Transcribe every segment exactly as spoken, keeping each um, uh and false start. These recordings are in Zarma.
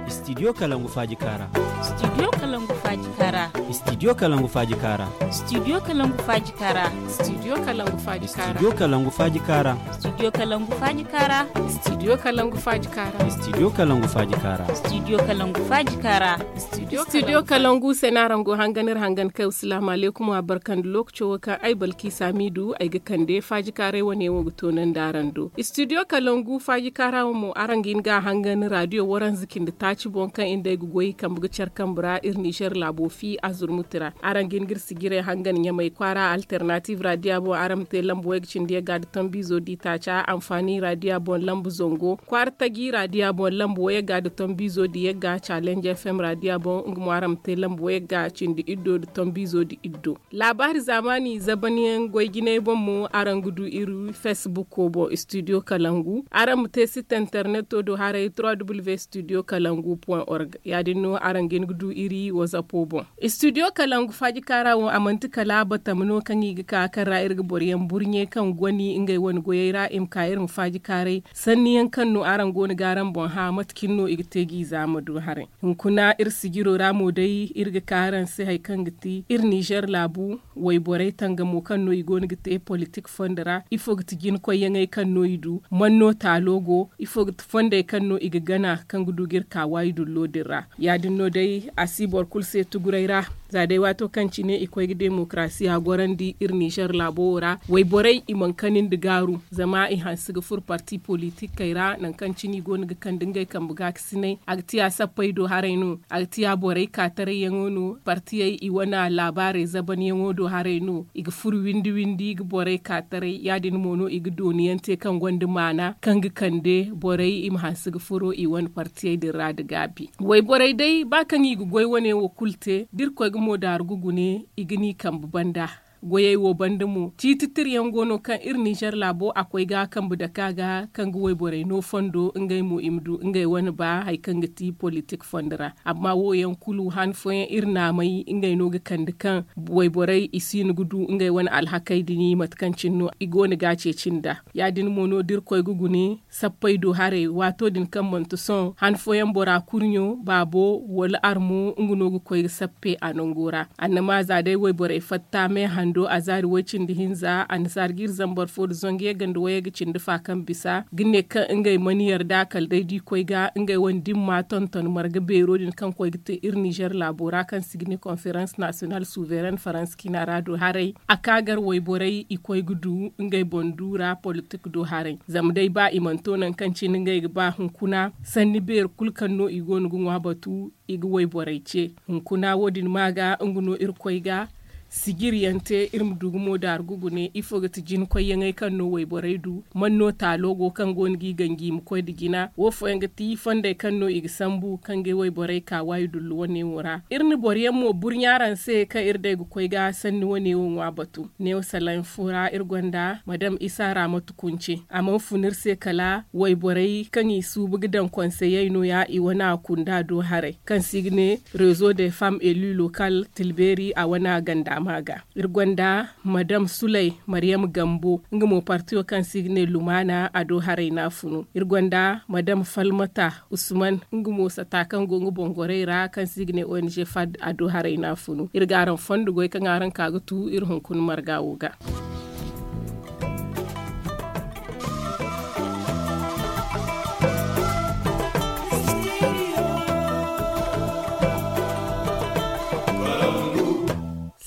Studio kalangu faaji kaara. Studio kalangu faaji kaara. Studio kalangu faaji kaara. Studio kalangu faaji kaara. Studio kalangu faaji kaara. Studio kalangu faaji kaara. Studio kalangu faaji kaara. Studio kalangu faaji kaara. Studio kalangu faaji kaara. Studio kalangu faaji kaara. Studio kalangu se no araŋ go hangan iri hangan kay. Asalaamu alaykum, wa barka nda lookaco wo kaŋ ay balki saamiidu ay ga kande faaji kaaray wane wo ga toonandi araŋ do. Studio kalangu faaji kaara wo mo araŋ ga hin ga a hangan raadiyo waranza cindi taaci boŋ kaŋ iri day ga goy kambe ga care kambe ra iri nizer laabo fi a zurmuti ra. Araŋ ga hin ga iri sijirey hangan ɲamay kwaara alternative raadiya boŋ araŋ ma te lambu wayga cindi yagga nda tombiizo di taaca anfaani raadiya boŋ lambu zango kwaara taji raadiya boŋ lambu wayagga nda tombiizo di yagga challenge f m raadiya boŋ nga mo araŋ ma te lambu wayagga cindi iddo nda tombiizo di iddo. Laabaari zaamaani zabanyaŋ goy jinay boŋ mo araŋ ga du iri facebook boŋ studio kalangu. Araŋ ma te site interneto do haray trois w studio kalangu point org. Ya- din no araŋ ga hin ga du iri whatsapp boŋ. Studio kalangu faaji kaara wo a manti kala batama no kaŋ i ga ka kaŋ ra iri ga boro yaŋ burɲe kaŋ goni ngey wane goyey ra i ma ka iri ma faaji kaaray. Sanni yaŋ kaŋ no araŋ go no ga araŋ boŋ hã mate cine no i ga te g'i zaama du haray. Hunkuna iri sijiro ra mo day iri ga ka araŋ se hari kaŋ ga ti iri nizer laabu wayborey tangamo kaŋ no i go no ga te politik fondo ra ifo ga ti jinkoyyaŋey kaŋ no i du? Man no taalo go? Ifo ga ti fondey kaŋ no i ga gana kaŋ ga du ga iri ka waayi dullo din ra? Ya- din no day a si boro kulu se tuguray ra. Za day waato kaŋ cine i koy ga demokarasiya gorandi iri nizer laabo wo ra wayborey i mana kani nda gaaru zama i hanse ga furo parti politikey ra nangu kaŋ cine i go no ga kande ngey kambe ga ga sinay a ga tiya sappey do haray no? A ga tiya borey ka taray yaŋo no? Partiyey i wane laabaarey zabanyaŋo do haray no? I ga furo windi windi ga borey ka taray ya- din mo no i ga dooniyaŋ te kaŋ gonda maana kaŋ ga kande borey i ma hanse ga furo i wane partiyey din ra nda gaabi. Wayborey day ba kaŋ i ga goy wane wo kulu te da irkoy ga moodaaru ga gune i ga ni kambe banda. Goyey wo banda mo ciiti tirayaŋ go no kaŋ iri nizer laabo a koy ga kambe dake a ga kaŋ ga wayborey no fondo ngey mo i ma du ngey wane ba hari kaŋ ga ti politik fondo ra. Amma wo yaŋ kulu han fooyaŋ iri naamay ngey no ga kande kaŋ wayborey i si hin ga du ngey wane alhakey din mate kaŋ cine no i go no ga a ceeci nd'a. Ya- din mo no da irkoy ga gune sappey do haray waato din kaŋ manti sohõ han fooyaŋ bora kurɲo baabo wala armo nga no ga koy ga sappe a nango ra. Annama za day wayborey fatta me hando a zaari way-cindi hinza annasaara ga iri zambar fo nda zangu yagga nda wayagga cindi fa kaŋ bisa ga ne kaŋ ngey mana yarda kala day da i koy ga ngey wane dimma tonton marga beero din kaŋ koy ga te iri nizer laabo ra kaŋ se i ga ne konferans nasiyonal suvereŋ faransa ciina ra do haray. A ka gar wayborey i koy ga du ngey boŋ du ra politik do haray zama day ba i mana to nangu kaŋ cine ngey ga ba hunkuna sanni beeri kulu kaŋ no i go no ga ŋwa batu i ga wayborey ce. Hunkuna wo- din ma ga nga no irkoy ga sijiri yaŋ te iri ma du ga moodaaru ga gune ifo ga ti jinkoyyaŋey kaŋ no wayborey du? Man no taalo go kaŋ go no g'i ganji i ma koy nda jina wo fooyaŋ ga ti fondey kaŋ no i ga sambu kaŋ ga wayborey ka waayi dullu wane wo ra iri na boro yaŋ mo burɲa araŋ se kaŋ iri day ga koy ga sanni wane wo ŋwa batu. Neewo salaŋ fo ra iri gonda madam isa raamatu kunce a mana fun iri se kala wayborey kaŋ i suubu ga daŋ konseyey no- ya i wane a kunda do haray kaŋ se i ga ne rezo de fam eli lokal tilbeeri a wane a ganda ma ga. Iri gonda madam sulay maryam gambo nga mo partiyo kaŋ se i ga ne lumaana a do haray no a funu. Iri gonda madam falmata usman nga mo sata kaŋ go nga boŋ gorey ra kaŋ se i ga ne ong fad a do haray no a funu. Iri ga araŋ fondo goy kaŋ araŋ ka ga tu iri hunkuna marga wo ga.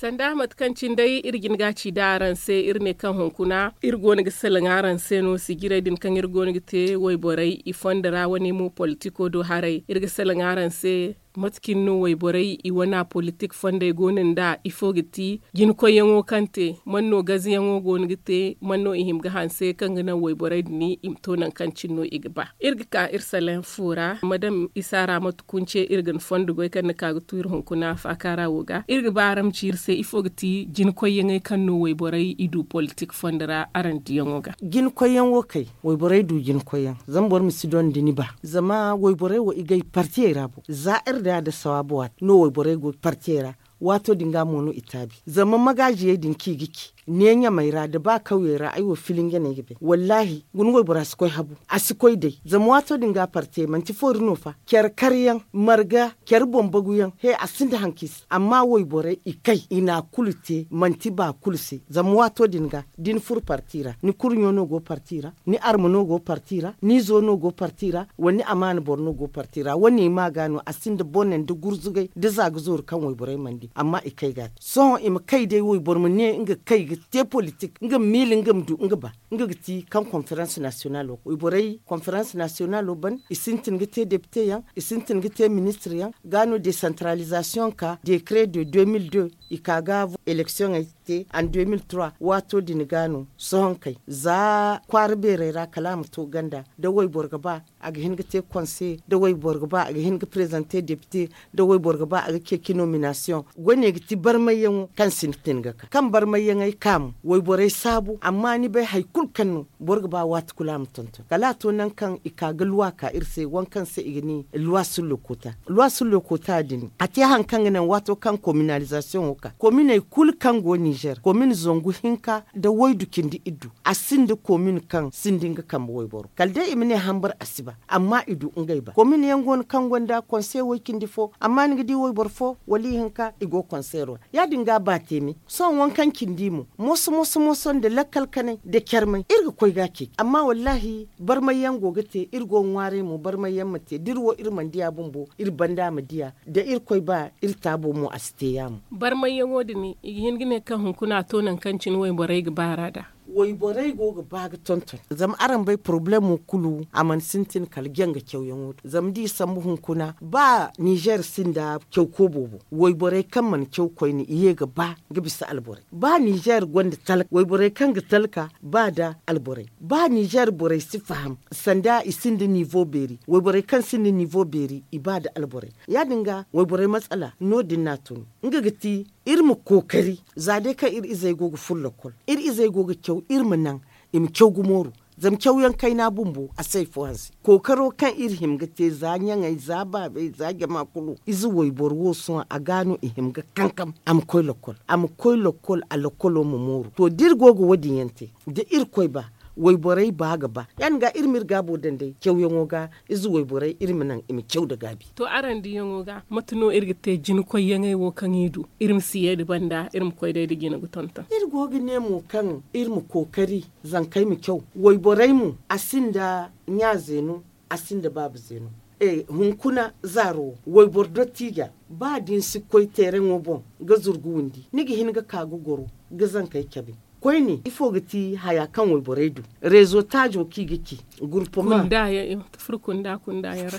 Sanda mate kaŋ cine day iri jin ga ci da araŋ se iri ne kaŋ hunkuna iri go no ga salaŋ araŋ se no sijirey din kaŋ iri go no ga te wayborey i fondo ra wane mo politiko do haray iri ga salaŋ araŋ se. Mate cine no wayborey i wana politik fondey go no nd'a ifo ga ti jinkoyyaŋo kaŋ te? Man no gazayaŋo go no ga te man no i hima ga hanse kaŋ ga naŋ wayborey din i ma to nangu kaŋ cine no i ga ba? Iri ga ka iri salaŋ fo ra madam isa ra mate kunce iri ga ni fondo goy kaŋ ni ka ga tu iri hunkuna faakaara wo ga iri ga ba araŋ ma ci iri se ifo ga ti jinkoyyaŋey kaŋ no wayborey i du politik fondo ra araŋ diyaŋo ga? Jinkoyyaŋ wo kay wayborey du jinkoyyaŋ zama boro ma si dondi ni ba zama wayborey wo i gay partiyey ra bo za iri day a da sawaabu waati no wayborey go partiyey ra. Waato din ga mo no i taabi zama magaaziyey din kaŋ i ga ci Ne ɲamay ra nda ba kawyey ra ay wo filinge no ay ga bay wallaahi. Guna waybora si koy habu, a si koy day. Zama waato din ga a parte manti foori no fa care karyaŋ, marga care boŋ baguyaŋ he a sinda haŋ kaŋ i si. Amma wayborey i kay i na a kulu te manti ba kulu se. Zama waato din ga da ni furo parti ra ni kurɲo no go parti ra, ni arma no go parti ra, ni izo no go parti ra, wala ni amaana boro no go parti ra wane i ma ga no a sinda bone nda gurzugay nda za ga zooru kaŋ wayborey mana di amma i kay ga a te. Sohõ i ma kay day wayboro ma ne nga kay ga te politik nga ma miila nga ma du nga ba. Nga ga ti kaŋ konferans nasiyonalo wayborey konferans nasiyonalo ban i sintin ga te depite yaŋ, i sintin ga te ministir yaŋ. Ga no desantaralizasiyoŋ ka dekare de deux mille deux i ka ga eleksiyoŋey te an deux mille trois waato din ga no sohõ kay za kwaara beerey ra kala a ma to ganda da wayboro ga ba a ga hin ga te konse da wayboro ga ba a ga hin ga prezante depite da wayboro ga ba a ga ceeci nominasiyoŋ. Wane ga ti barmayyaŋo kaŋ sintin ga ka kaŋ barmayyaŋey ka mo wayborey saabu amma ni bay hari kulu kaŋ no boro ga ba waati kulu a ma tonton kala a to nangu kaŋ i ka ga luwa ka iri se waŋ kaŋ se i ga ne luwa sullo koota. Luwa sullo koota din a te hari kaŋ ga naŋ waato kaŋ kominalizasiyoŋo ka kominey kulu kaŋ go ninzeer komin zangu hinka nda waydu cindi iddu a sinda komin kaŋ sinda nga kambe wayboro kala day i ma ne hambar a si ba. Amma i du ngey ba komin yaŋ go no kaŋ gonda konse way cindi fo amma ni ga di wayboro fo wala ihinka i go konseero ra ya- din ga ba teeme. Sohõ waŋ kaŋ cindi mo moso moso moso nda lakkal kanay nda carmay iri ga koy ga a ceeci amma wallaahi barmay yaŋ go ga te iri go ga ŋwaaray mo barmay yaŋ ma te da iri wo iri mana diya bumbo iri banda ma diya da iri koy ba iri taabo mo a si te yaamo. Barmay yaŋo din i ga hin ga ne kaŋ hunkuna a to nangu kaŋ cine wayborey ga baara nd'a. Wayborey go ga ba ga tonton zama araŋ bay porobalemo kulu a mana sintin kala janga cawyaŋo din zama da i sambu hunkuna ba ninzeer sinda caw koobo boŋ wayborey kaŋ mana caw koyne i ye ga ba ga bisa alborey ba ninzeer gonda talka wayborey kaŋ ga talka ba nda alborey ba ninzeer borey si faham sanda i sinda niivo beeri wayborey kaŋ sinda niivo beeri i ba nda alborey ya- din ga wayborey matsala no- din no a tun nga ga ti iri ma kookari za day kaŋ iri izey go ga furo lakkol iri izey go ga caw iri ma naŋ i ma caw ga mooru. Zama cawyaŋ kayna bumbo a si hari fo hanse kookaro kaŋ iri hima ga te za ɲaŋey za baabey za jama kulu ize wayboro wo sohõ a ga no i hima ga kankam a ma koy lakkol a lakkolo ma mooru to da iri go ga wo- din yaŋ te da irkoy ba wayborey ba ga ba ya- din ga iri ma iri gaabo daŋ day cawyaŋo ga ize wayborey iri ma naŋ i ma caw nda gaabi. To araŋ diyaŋo ga mate no iri ga te jinakoyyaŋey wo kaŋ i du iri ma si ye nda banda iri ma koy day nda jina ga tonton iri go ga ne mo kaŋ iri ma kookari zankey ma caw wayborey mo a sinda ɲa zeeno a sinda baaba zeeno hunkuna zaaro wo wayboro dottiija ba da ni si koy teereŋo boŋ ga zuru ga windi ni ga hin ga ka ga goro ga zankey cabe koyne ifo ga ti haya kaŋ wayborey du reezo taajo kaŋ i ga ci gurpuma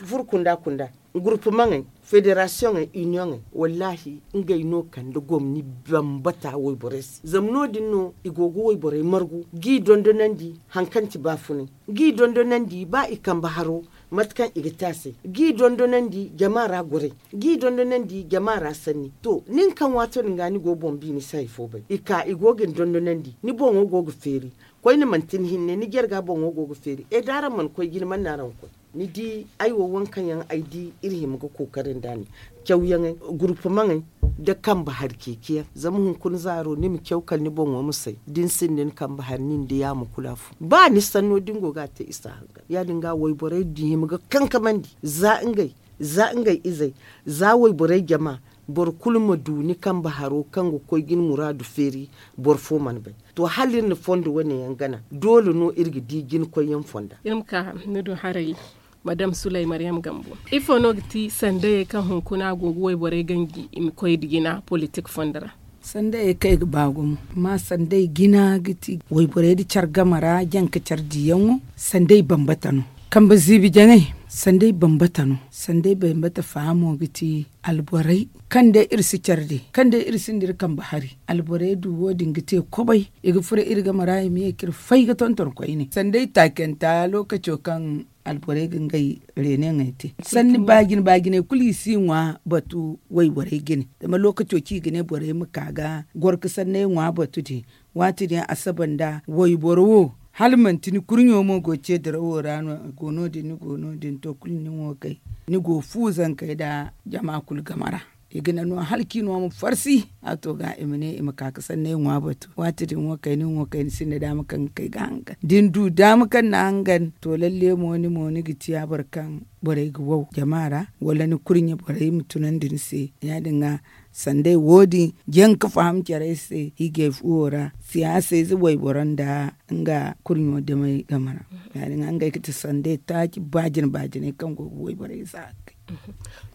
furo kunda kunda gurpumaŋey federasiyoŋey iniyoŋey wallaahi ngey no kande gomni bambata wayborey se zama no- din no i go ga wayborey margu g'i dondonandi hari kaŋ ti baafunay g'i dondonandi ba i kambe haro mate kaŋ i ga te a se g'i dondonandi jama ra goray g'i dondonandi jama ra sanni to nin kaŋ waato din ga ni go boŋ bi ni si hari fo bay i ka i go ga ni dondonandi ni boŋo go ga feeri koyne manti ni hinne ni jarga boŋo go ga feeri e da araŋ mana koy jine mana no araŋ ga koy ni di ay wo waŋ kaŋ yaŋ ay di iri hima ga kookari nda ni cawyaŋey gurpumaŋey nda kambe hari ceeciyaŋ zama hunkuna zaaro ni ma caw kala ni boŋo ma say da ni sinda ni kambe hari nin da yaamo kulu afo ba ni sanno da ni go ga a te i si a hangan ya- din ga wayborey din hima ga kankamandi za ngey za ngey izey za wayborey jama boro kulu ma du ni kambe haro kaŋ ga koy ga ni muraadu feeri boro fo mana bay to hala iri na fondo wane yaŋ gana doole no iri ga di jinakoyyaŋ fonda iri ma ka ni du haray madam sulay maryam gambo ifo no ga ti sandayey kaŋ hunkuna go ga wayborey ganji i ma koy da jina politik fondo ra sandayey kaŋ i ga ba gumo amma sanday jina ga ti wayborey da care game ra janka care diyaŋo sanday bambata no kambe ziibi jaŋey sanday bambata no sanday bambata faamo ga ti alborey kaŋ day iri si care di kaŋ day iri sinda iri kambe hari alborey du wo- din ga te kobay i ga furo iri game ra i ma ye ka iri fay ga tonton koyne sanday taacanta lookaco kaŋ alborey ga ngey reeneŋey te sanni baajine baajiney kulu i si ŋwa batu wayborey jine zama lookaco kaŋ i ga ne borey ma ka ga goro ga sanney ŋwa batu din waati din a saba nda wayboro wo hala manti ni kurɲo mo go ceedirawo ra no a go no- din ni go no- din to kulu ni nin wo kay ni go fu zankey nda jama kulu game ra I ga naŋ no hala kaŋ i no ma farsi. A to ga i ma ne i ma ka ga sanney ŋwa batu waati din wo kayna wo kayna sinda daama kaŋ ga kay ga hangan da ni du daama kaŋ na hangan to lalle mo ni mo ni ga ciya boro kaŋ borey ga wow jama ra wala ni kurɲe borey ma tunandi ni se. Ya- din ga sandey wo- din jaŋ ga faham carey se hiijay fuwo ra. Siyaasayze wayboro nda nga kurɲo damey game ra. Ya- din ga ngey ga ti sandey taaci baajine baajiney kaŋ go ga wayborey za ga kay.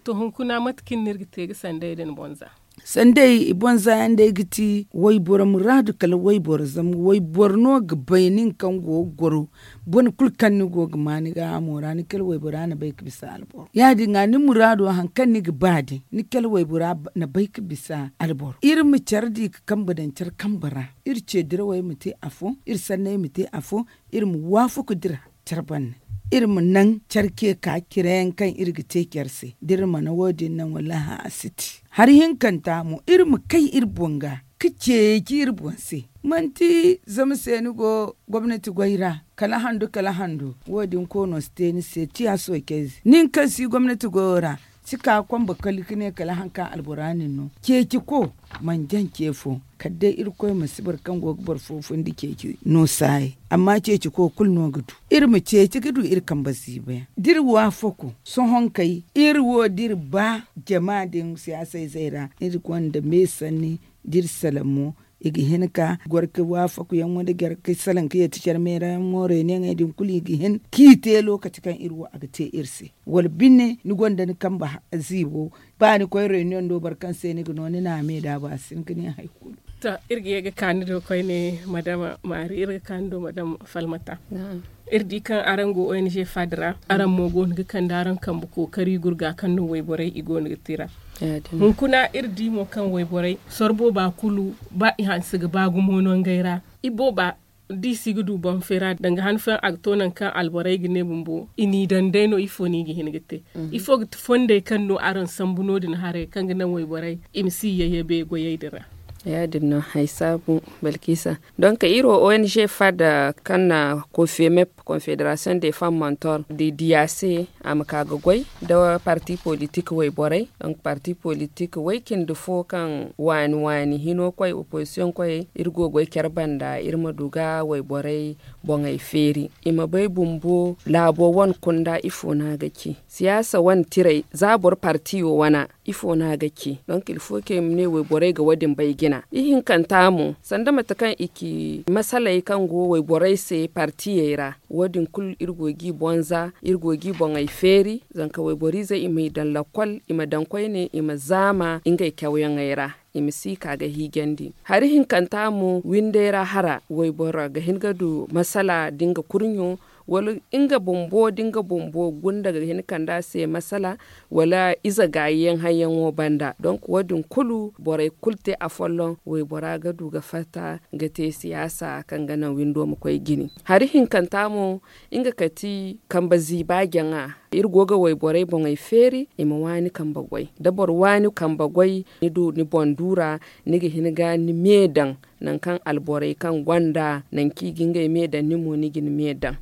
To hunkuna mate kaŋ no iri ga te ga sandey din boŋ za? Sandey i boŋ za yaŋ day ga ti wayboro muraadu kala wayboro zama wayboro no ga bay nin kaŋ go ga goro. Bone kulu kaŋ ni go ga ma ni gaahamo ra ni kala waybora na bay ga bisa alboro ya- din ga ni muraado hari kaŋ ni ga ba din ni kala waybora na bay ga bisa alboro iri ma care di ga kambe daŋ care kambe ra. Iri ce dirawey ma te afo iri sanney ma te afo. Iri ma waafaku dira care banda iri ma naŋ care ce ka cire yaŋ kaŋ iri ga te care se da iri mana wo- din naŋ wallaahi a si te. Hari hinkanta mo iri ma kay iri boŋ ga ga ceeci iri boŋ se. Manti zama se ni go gomnati goy ra kala handu kala handu wo- din koono si te ni se ciya soocayze nin kaŋ si gomnati goyo ra. Si ka kombe kali ga ne kala hari kaŋ albora nin no ceeci ko mana jaŋ ce fo. Kala day irkoy ma si boro kaŋ go ga boro fo fundi ceeci no saayey amma ceeci ko kulu no ga du. Iri ma ceeci ga du iri kambe ziiba yaŋ da iri waafaku sohõ kay iri wo da iri ba jama din siyaasayzey ra iri gonda me sanni da iri salaŋ mo. I ga hin ka goro ga waafaku yaŋ wala goro ga salaŋ ga yeeti care meera yaŋ mo reeniyaŋey din kulu i ga hin k'i te lookaci kaŋ iri wo a ga te iri se. Wala bine ni gonda ni kambe ziibo ba ni koy reunion do boro kaŋ se ni ga no ni na a me daabu a si hin ga ne hari kulu. To iri ga ye ga ka ni do koyne madama maari iri ga ka ni do madama falmata. Iri di kaŋ araŋ go ong fad ra araŋ mo go no ga kande araŋ kambe kookari gurga kaŋ no wayborey i go no ga te ra. Hunkuna iri di mo kaŋ wayborey soro booba kulu ba i hanse ga ba gumo no ngey ra. I booba da i si ga du boŋ feera danga han fooyaŋ a ga to nangu kaŋ alborey ga ne bumbo i n'i daŋ day no ifo no i ga hin ga te? Ifo ga ti fondey kaŋ no araŋ sambu no- din haray kaŋ ga naŋ wayborey i ma si yayye bay goyey din ra? Ya- din no hari saabu balkisa. Donk iri wo ong fad kaŋ na kofemep confederation de femme montor da i diya se a ma ka ga goy nda parti politik wayborey. Donk parti politik way cindi fo kaŋ waani waani hino koy opozisiyoŋ koyey iri go ga goy care banda iri ma du ga wayborey boŋey feeri i ma bay bumbo laabo wane kunda ifo no a ga ci siyaasa wane tiray za boro partiyo wana ifo no a ga ci? Donk ilfo kaŋ i ma ne wayborey ga wo- din bay jina ihinkanta mo sanda mate kaŋ i ci masaley kaŋ go wayborey se partiyey ra. Wo- din kulu iri go g'i boŋ za iri go g'i boŋey feeri zanka wayboriizey i m'i daŋ lakkol i ma daŋ koyne i ma zaama ngey cawyaŋey ra i ma si ka ga hiijandi. Hari hinkanta mo windey ra hara wayboro ga hin ga du masala da nga kurɲo wala nga bumbo da nga bumbo gunda ga hin kande a se masala wala ize gaayi yaŋ hayyaŋo banda donk wo- din kulu borey kulu te afolloŋ waybora ga du ga fatta ga te siyaasa kaŋ ga naŋ windo ma koy jine. Hari hinkanta mo nga kati kambe ziiba jaŋa iri go ga wayborey boŋey feeri i ma waani kambe goy da boro waani kambe goy ni du ni boŋ duura ni ga hin ga ni me daŋ nangu kaŋ alborey kaŋ gonda nangu kaŋ i ga ngey me daŋ ni mo ni ga ni me daŋ.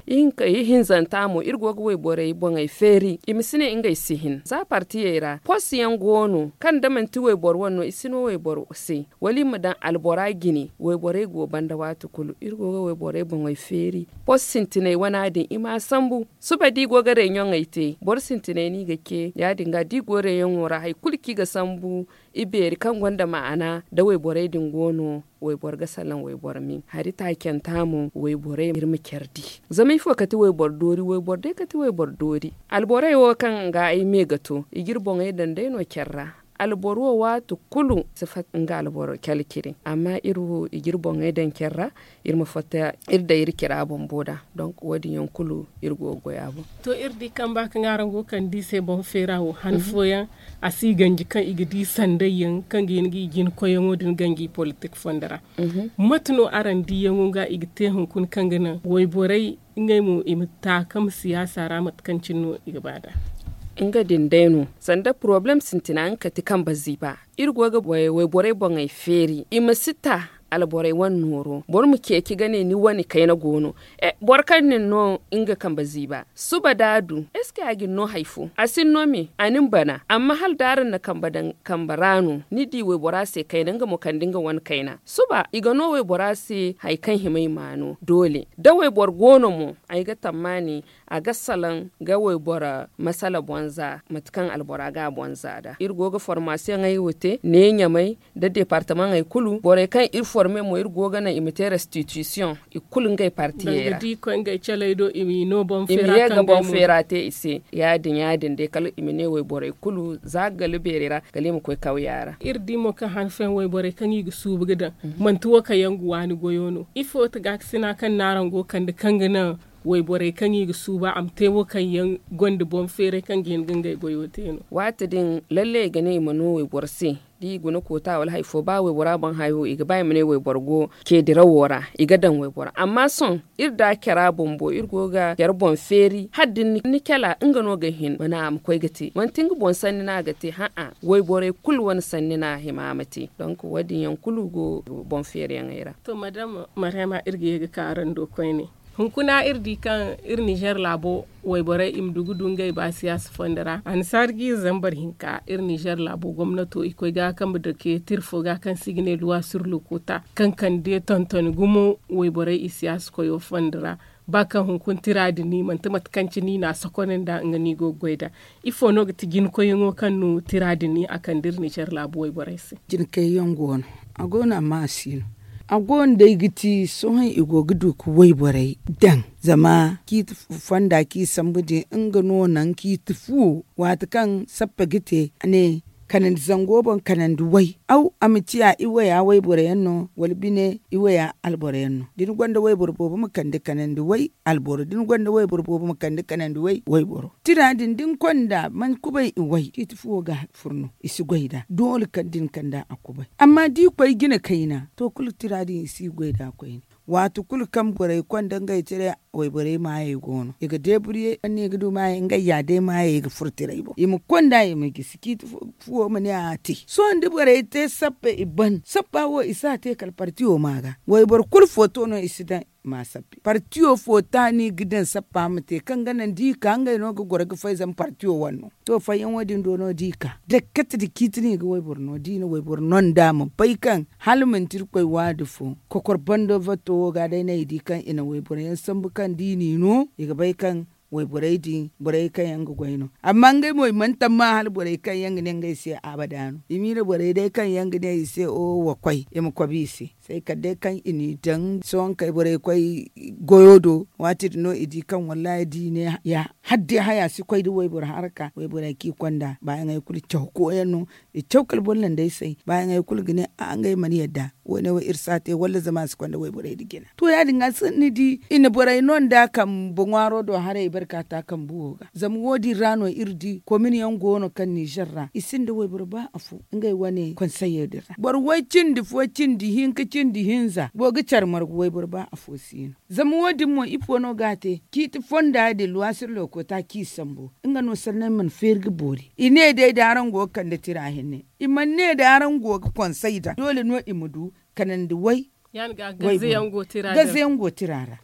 Ihinzanta mo iri go ga wayborey boŋey feeri i ma si ne ngey si hin za partiyey ra post yaŋ go no kaŋ da manti wayboro wane no i si no wayboro se wala i ma daŋ albora jine wayborey go banda waati kulu iri go ga wayborey boŋey feeri post sintiney wana din i m'a sambu suba da i go ga reɲoŋey te boro sintiney no i ga ce ya- din ga da i go reɲoŋo ra hari kulu kaŋ i ga sambu i beeri kaŋ gonda ma'ana da wayborey din go no wayboro ga salaŋ wayboro me hari taacanta mo wayborey iri ma care di. Zama ifo kati wayboro doori wayboro day kati wayboro doori alborey wo kaŋ ga ay me ga to i ga iri boŋey daŋ day no care ra alboro wo waati kulu si fatta nga alboro care cire amma iri wo i ga iri boŋey daŋ care ra iri ma fatta iri daŋ iri cira bumbo da donk wo- din yaŋ kulu iri go ga goy a boŋ. To iri di kaŋ ba kaŋ araŋ go ga kande i se boŋ feera wo han fooyaŋ a si ganji kaŋ i ga di sanday yaŋ kaŋ ga hin ga i jina koyyaŋo din ganji politik fondo ra. Mate no araŋ diyaŋo ga i ga te hunkuna kaŋ ga naŋ wayborey ngey mo i ma taakam siyaasa ra mate kaŋ cine no i ga ba nd'a? Nga din day no sanda poroblem sintina nga kati kambe ziiba iri go ga wayborey boŋey feeri i ma si ta alborey wane nooro boro ma ceeci ga ne ni wane kayna go no. Boro kaŋ na ni no nga kambe ziiba suba da a du eske a ga ni no hari fo a si ni no me a na ni bana amma hala da araŋ na kambe daŋ kambe ra no ni di waybora se kayna nga mo kande nga wane kayna suba i ga no waybora se hari kaŋ hima i ma no doole da wayboro go no mo ay ga tammaani a ga salaŋ ga wayboro masala boŋ za mate kaŋ albora ga a boŋ za nd'a iri go ga formasiyoŋey wo te ne ɲamay nda departamaŋey kulu borey kaŋ iri forme mo iri go ga naŋ i ma te restitusiyoŋ i kulu ngey partiyey ra i ma ye ga boŋ feera te i se ya- din ya- din day kala i ma ne wayborey kulu za ga gala beerey ra kala i ma koy kawya ra iri di mo kaŋ hanfeyaŋ wayborey kaŋ i ga suubu ga daŋ manti wo kaŋ yaŋ ga waani goyo no ifo ti gaakasina kaŋ no araŋ go ga kande kaŋ ga naŋ wayborey kaŋ i ga suuba a ma te wo kaŋ yaŋ gonda boŋ feeray kaŋ ga hin ga ngey goyo te no waati din lalle i ga ne i ma no wayboro se da i guna koota wala hari fo ba waybora boŋ hayo i ga ba i ma ne wayboro go ceedirawo ra i ga daŋ waybora amma sohõ iri da care bumbo iri go ga care boŋ feeri hala da ni cala nga no ga hin mana a ma koy ga te manti nga boŋ sanni no a ga te ha'a wayborey kulu wane sanni no a hima a ma te donk wo- din yaŋ kulu go boŋ feeriyaŋey ra to madama mariama iri ga ye ga ka araŋ do koyne hunkuna iri di kaŋ iri nizer laabo wayborey i ma du ga du ngey ba siyaasa fondo ra annasaari ga iri zambar hinka iri nizer laabo gomnato i koy ga kambe dake tira fo ga kaŋ se i ga ne luwa sur lokuta kaŋ kande tontoni gumo wayborey i siyaasa koyo fondo ra ba kaŋ hunkuna tira din ni manti mate kaŋ cine i na a sokone nd'a nga no i go ga goy nd'a ifo no ga ti jinkoyyaŋo kaŋ no tira din ni a kande iri nizer laabu wayborey se jinkayyaŋ go no a go no amma a si no a go no day ga ti sohõ i go ga du ga wayborey daŋ zama ciiti fonda kaŋ i sambu din nga no naŋ ciiti fuwo waati kaŋ sappe ga te a ne kanandi zango boŋ kanandi way aw a ma ciya iwaya wayboro yaŋ no wala bine iwaya alboro yaŋ no da ni gonda wayboro boobo ma kande kanandi way alboro da ni gonda wayboro boobo ma kande kanandi way wayboro tira din da ni konda man kubay i way ciiti fuwo ga furno i si goy da doole kala da ni kanda a kubay amma da i koy jina kayna to kulu tira din i si goy da koyne waati kulu kaŋ borey konda ngey tira wayborey maayey go no i ga deeburye anni ga du maayey ngey ya day maayey ga furo tiray boŋ i ma konda i ma gisi ciiti fuwo ma ne a te sohõ da borey te sappe i ban sappa wo i si a te kala partiyo ma ga wayboro kulu footo no i si daŋ ma sappe partiyo fo taani ga daŋ sappa ma te kaŋ ga naŋ da i ka ngey no ga goro ga fay zama partiyo wane no to fayyaŋo din do no da i ka dakkate da ciiti no i ga wayboro no da i na wayboro no nd'a ma bay kaŋ hala manti irkoy waadi fo kokor bando vatto wo ga day no ay di kaŋ i na wayboro yaŋ sambu kaŋ da i n'i no i ga bay kaŋ wayborey din borey kaŋ yaŋ ga goy no amma ngey mo i mana tamma hala borey kaŋ yaŋ ga ne ngey se abada no i miila borey day kaŋ yaŋ ga ne i se o wa koy i ma kobi i se se kala day kaŋ i n'i daŋ sohõ kay borey koy goyo do waati din no i di kaŋ wallahi da i ne ya hala day haya si koy da wayboro haraka wayborey kaŋ i konda baayaŋey kulu caw koyaŋ no i caw kala boro landey se baayaŋey kulu ga ne a ngey mana yadda wo- ne wo iri si a te walla zama a si konda wayborey nda jina to ya- din ga ni di i na borey no nd'a kambe ŋwaaro do haray i barka ta kambe wo ga zama wo- din ra no iri di komin yaŋ go no kaŋ nizer ra i sinda wayboro ba afo ngey wane konseye din ra boro way cindi fo cindi hinka cindi hinza go ga care margu wayboro ba afo si no zama wo- din mo ifo no ga a te ciiti fonda din luwasir lookota kaŋ i sambu nga no sanney mana feeri ga boori i ne day da araŋ go ga kande tira hinne i mana ne da araŋ go ga konsey daŋ doole no i ma du kanandi way gaze yaŋ go tira ra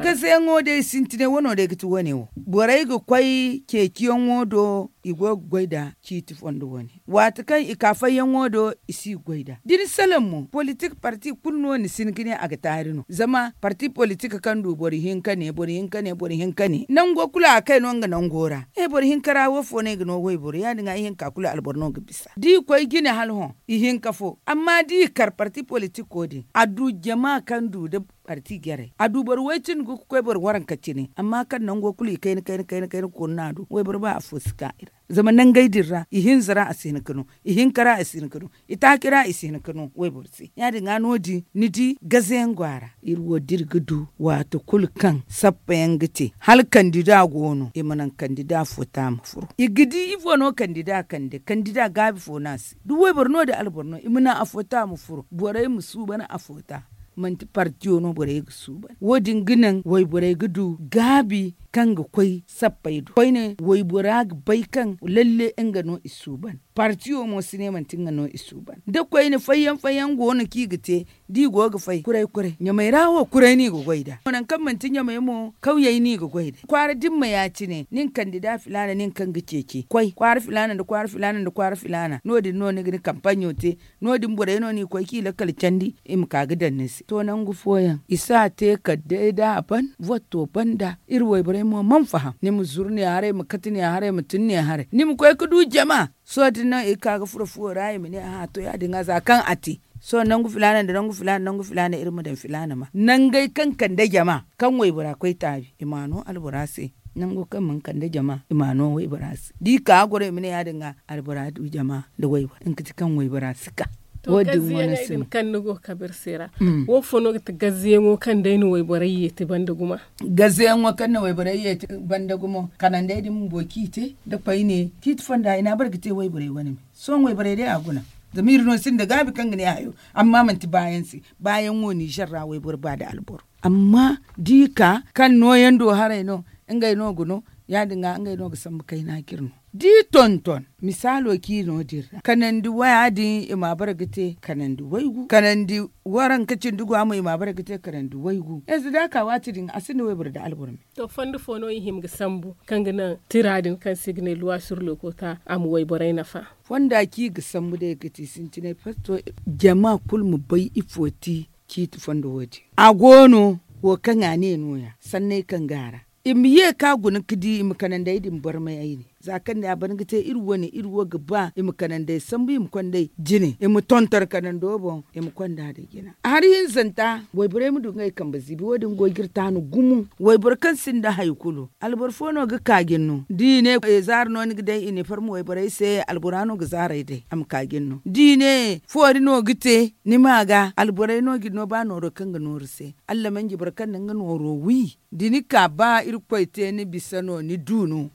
gaze yaŋo day sintinay wano day ga ti wane wo borey ga koy ceeciyaŋo do i go ga goy nda ciiti fondo wane waati kaŋ i ka fayyaŋo do i si ga goy nd'a da ni salaŋ mo politik parti kulu no ni si hin ga ne a ga taari no zama parti politik kaŋ du boro hinka ne boro hinka ne boro hinka ne nango kulu a kay no nga nango ra e boro hinka ra wo fo no i ga no wayboro ya- din ga ihinka kulu alboro no ga bisa da i koy jine hala hõ ihinka fo amma da i kar parti politiko din a du jama kaŋ du nda parti jarey a du boro way cindi ga koy boro waranka cine amma kaŋ nango kulu i kayna kayna kayna kayna koonu no a du wayboro ba afo si ka i ra zama nangey din ra ihinza ra a si hin ga no ihinka ra a si hin ga no itaaci ra i si hin ga no wayboro se ya- din ga no- din ni di gaze yaŋ go a ra iri wo da iri ga du waati kulu kaŋ sappa yaŋ ga te hala kandida go no i ma naŋ kandida fo ta ma furo i ga di ifo no kandida kande kandida gaabi fo no a se da wayboro no da alboro no i ma naŋ afo ta ma furo borey ma suuban afo ta manti partiyo no borey ga suuban wo- din ga naŋ wayborey ga du gaabi kaŋ ga koy sappey do koyne waybora ga bay kaŋ lalle nga no i suuban. Partiyo mo si ne manti nga no i suuban da koyne fayyaŋ fayyaŋ go no kaŋ i ga te. Da i go ga fay kuray kuray ɲamey ra wo kuray no i ga goy nd'a. Nangu kaŋ manti ɲamey mo kawyey no i ga goy nd'ey kwaara dimma ya- cine nin kandida filaana nin kaŋ ga ceeci koy kwaara filaana nda kwaara filaana nda kwaara filaana no- din no ni ga ni kampaɲo te. No- din borey no no i koy kaŋ i lakkal candi i ma ka ga daŋ ni se to nangu fooyaŋ i si a te kala day da a ban votto banda iri wayborey mo mana faham ni ma zuru ne haray ma kate ne haray ma tun ne haray ni ma koy ga du jama. Sohõ din no i ga ka ga furo fuwo ra i ma ne a to ya- din ga za kaŋ a te. Sohõ nangu filaana nda nangu filaana nangu filaana iri ma daŋ filaana ma nangey kaŋ kande jama kaŋ waybora koy taabi i ma a no albora se. Nango kaŋ mana kande jama i ma a no waybora se da i ka ga goro i ma ne ya- din ga albora du jama nda waybora nga ti kaŋ waybora si ka. Wo- din wane se no kaŋ ni go ga kabe iri se ra. Wo fo no ga ti gazziyaŋo kaŋ day na wayborey yeeti banda guma? Gazziyaŋo kaŋ na wayborey yeeti banda gumo kanandey din bumbo kaŋ i te da koyne kaŋ i ti fonda i na a bare ga te wayborey wane me. Sohõ wayborey day a guna. Zama iri no sinda gaabi kaŋ ga ne hayo amma manti baayaŋ se. Baayaŋ wo ninzeer ra wayboro ba nda alboro. Amma da i ka kaŋ nooyaŋ do haray no ngey no ga no ya- din ga ngey no ga sambu kayna kaŋ iri no da i tonton misaalo kaŋ i no din ra kanandi waya din i ma a bare ga te kanandi waygu kanandi waranka cindi go a mo i ma a bare ga te kanandi waygu yanzu da a ka waati din a sinda wayboro nda alboro me. To fondo fo no i hima ga sambu kaŋ ga naŋ tira din kaŋ se i ga ne luwa sur lookota a ma wayborey nafa? Fonda kaŋ i ga sambu day ga ti sintinay pasto jama kulu ma bay ifo ti ciiti fondo wo- din. A go no wo kaŋ a ne no- ya sanney kaŋ go a ra i ma ye kaŋ a guna ga di i ma kanandey din barmay ay ne. Za kaŋ ne a ban ga te iri wane iri wo ga ba i ma kanandey sambu i ma konda ay jine i ma tonton kanando boŋ i ma konda nda jina. Hari hinzanta wayborey ma du ngey kambe ziibi wo- din go ga iri taanu gumo. Wayboro kaŋ sinda hari kulu alboro fo no ga ka jine no da i ne zaari no ni ga day iniform wayborey se albora no ga zaaray day a ma ka jine no da i ne foori no ga te ni ma ga alborey no ga ni no ba nooro kaŋ ga nooru se. Allamanji boro kaŋ na nga nooro wi da ni ka ba irkoy te ni bisa no ni du no.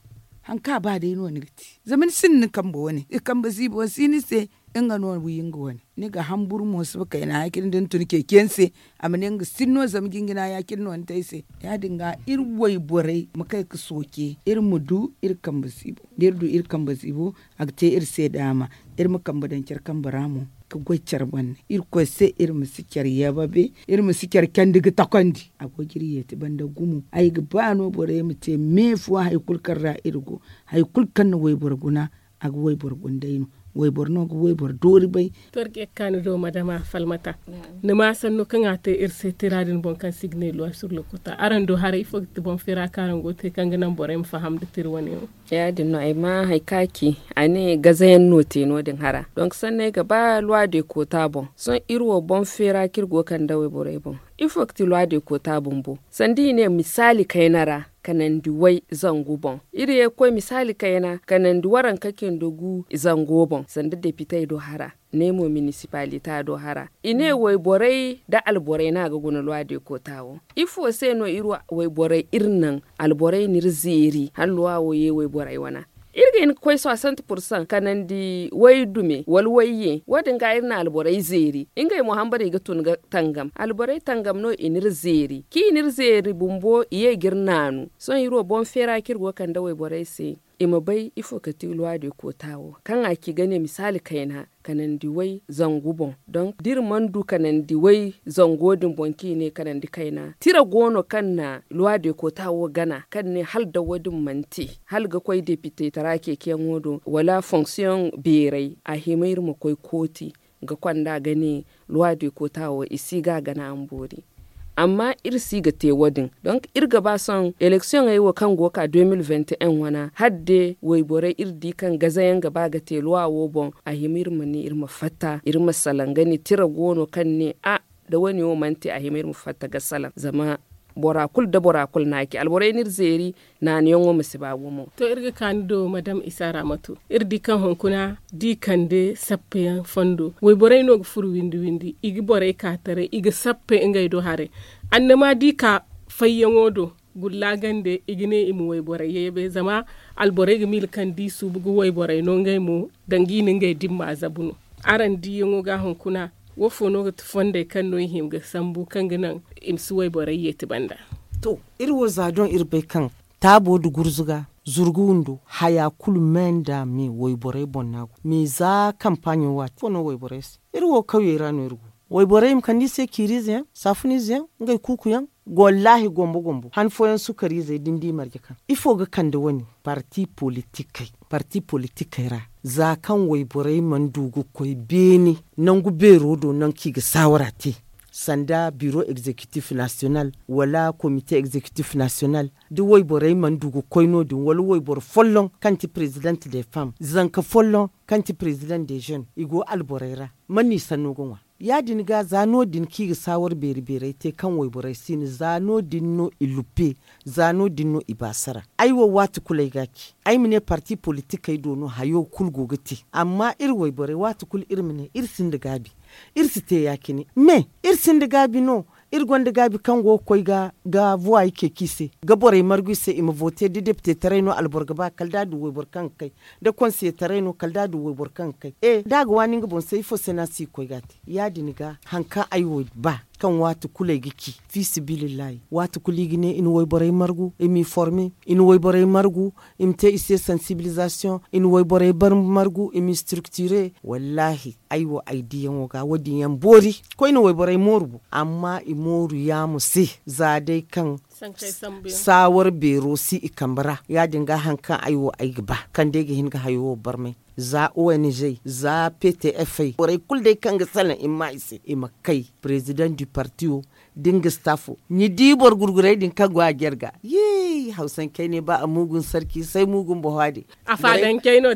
Hari kaŋ a ba day no ni ga te zama ni sinda ni kambe wane i kambe ziibo si ni se. Nga no wi nga wane ni ga hamburu mo si ba kayna ya- cine da ni tun ceeci yaŋ se. A ma ne nga sinda no zama jinjina ya- cine no ni te ay se. Ya- din ga iri wayborey ma kay ga sooce iri ma du iri kambe ziibo da iri du iri kambe ziibo a ga te iri se daama. Iri ma kambe daŋ care kambe ra mo ga goy care banda irkoy se iri ma si care yababe iri ma si care candi ga takondi. A go ga iri yeeti banda gumo ay ga ba no borey ma te me fo hari kulu kaŋ ra iri go. Hari kulu kaŋ na wayboro guna a ga wayboro guna day no. Wayboro no ga wayboro doori bay. To iri ga ye ga ka ni do madama falmata ni ma sanno kaŋ a te iri se tira din boŋ kaŋ se i ga ne luwa sur lookota araŋ do haray ifo ga ti boŋ feera kaŋ araŋ go ga te kaŋ ga naŋ borey ma faham nda tira wane wo? Ya- din no ay ma hari kaŋ a ci a ne gazayaŋ no te no- din hara donk sanno ay ga ba luwa de koota boŋ sohõ iri wo boŋ feera kaŋ iri go ga kande wayborey boŋ. Ifo ga ti luwa de koota bumbo sanda i ne misaali kayna ra kanandi way zangu boŋ iri ye ga koy misaali kayna kanandi waranka cindi gu zango boŋ sanda depitey do hara ne mo minisipalita do hara i ne wayborey nda alborey no a ga guna luwa de koota wo. Ifo se no iri wayborey iri naŋ alborey n'iri zeeri hala luwa wo ye wayborey wana? Iri ga hin ga koy soixante pour cent kanandi way dume wala wayye wo- din ga iri na alborey zeeri ngey mo hambara i ga tun ga tangam alborey tangam no i n'iri zeeri kaŋ i n'iri zeeri bumbo i ye ga iri naanu. Sohõ iri wo boŋ feera kaŋ iri go ga kande wayborey se i ma bay ifo ga ti luwa de koota wo kaŋ a ci ga ne misaali kayna kanandi way zangu boŋ donk da iri mana du kanandi way zango din boŋ kaŋ i ne kanandi kayna tira go no kaŋ na luwa de koota wo gana kaŋ ne hala da wo- din mana te hala ga koy depite tara ceeciyaŋo do wala fonksiyoŋ beeray a hima iri ma koy kooti ga konda ga ne luwa de koota wo i si ga a gana a ma boori. Amma iri si ga te wo- din donk iri ga ba sohõ eleksiyoŋey wo kaŋ go ga ka deux mille vingt et un wana hala day wayborey iri di kaŋ gazayaŋ ga ba ga te luwa wo boŋ a hima iri ma ne iri ma fatta iri ma salaŋ ga ne tira go no kaŋ ne a da wo- ne wo mana te a hima iri ma fatta ga salaŋ zama bora kulu nda bora kulu no a ci alborey n'iri zeeri. Naaniyaŋo ma si ba gumo. To iri ga ka ni do madam isa ramatu iri di kaŋ hunkuna da i kande sappeyaŋ fondo wayborey no ga furo windi windi i ga borey ka taray i ga sappe ngey do haray. Annama da i ka fayyaŋo do gulla gande i ga ne i ma wayborey yeebe zama alborey ga miila kaŋ da i suubu ga wayborey no ngey mo danga i na ngey dimma zabu no. Araŋ diyaŋo ga hunkuna wo fo no ga ti fondey kaŋ no i hima ga sambu kaŋ ga naŋ i ma si wayborey yeeti banda? To iri wo za doŋ iri bay kaŋ taabo nda gurzuga, zurgu windo, haya kulu me nda me wayborey boŋ no a go. Me za kampaaɲo waati ifo no wayborey se? Iri wo kawyey ra no iri go. Wayborey i ma kande i se ciiriize yaŋ, saafuniize yaŋ, ngey kuuku yaŋ. Wallaahi gombo gombo han fooyaŋ sukariizey da ni di marje kaŋ ifo ga kande wane? Parti politikey ra za kaŋ wayborey mana du ga koy beene nangu beero do nangu kaŋ i ga saawara te, sanda biro egzekitif nasiyonal wala komite egzekitif nasiyonal, da wayborey mana du ga koy no- din wala wayboro folloŋ kaŋ ti president de fam, zanka folloŋ kaŋ ti president de jeune, i go alborey ra. Man no i sanno ga ŋwa? Ya- din ga za no- din kaŋ i ga saawar beeri beerey te kaŋ wayborey si no za no- din no i luppe, za no- din no i baasara. Ay wo waati kulu ay ga a ci, ay ma ne parti politikey do no hayo kulu go ga te. Amma iri wayborey waati kulu iri ma ne iri sinda gaabi. Iri si te ya- cine me, iri sinda gaabi no. Iri gonda gaabi kaŋ go ga koy ga vuwa i ceeci i se, ga borey margu i se i ma voote da depitetaray no alboro ga ba kala da a du wayboro kaŋ ga kay, da konseyetaray no kala da a du wayboro kaŋ ga kay. E da a ga waani nga boŋ se ifo se no a si ga koy ga a te? Ya- din ga hari kaŋ ay wo ba kaŋ waati kulu ay ga ci, fiisabilillahi waati kulu i ga ne i na wayborey margu i m'i forme, i na wayborey margu i ma te i se sansibilizasiyoŋ, i na wayborey margu i m'i siriktiire. Wallaahi ay wo ay diyaŋo ga wo- din yaŋ boori. Koyne wayborey mooru bo amma i mooru yaamo se, za day kaŋ saawar beero si i kambe ra. Ya- din ga hari kaŋ ay wo ay ga ba kaŋ day ga hin ga hayo wo barmay, za ong, za ptf borey kulu day kaŋ ga salaŋ i ma maa i se i ma kay president du parti wo, da nga staff wo. Ni di boro gurgurey din kaŋ go a jare ga, yee hawsankey ne ba a muugun sarki say muugun bohwa din.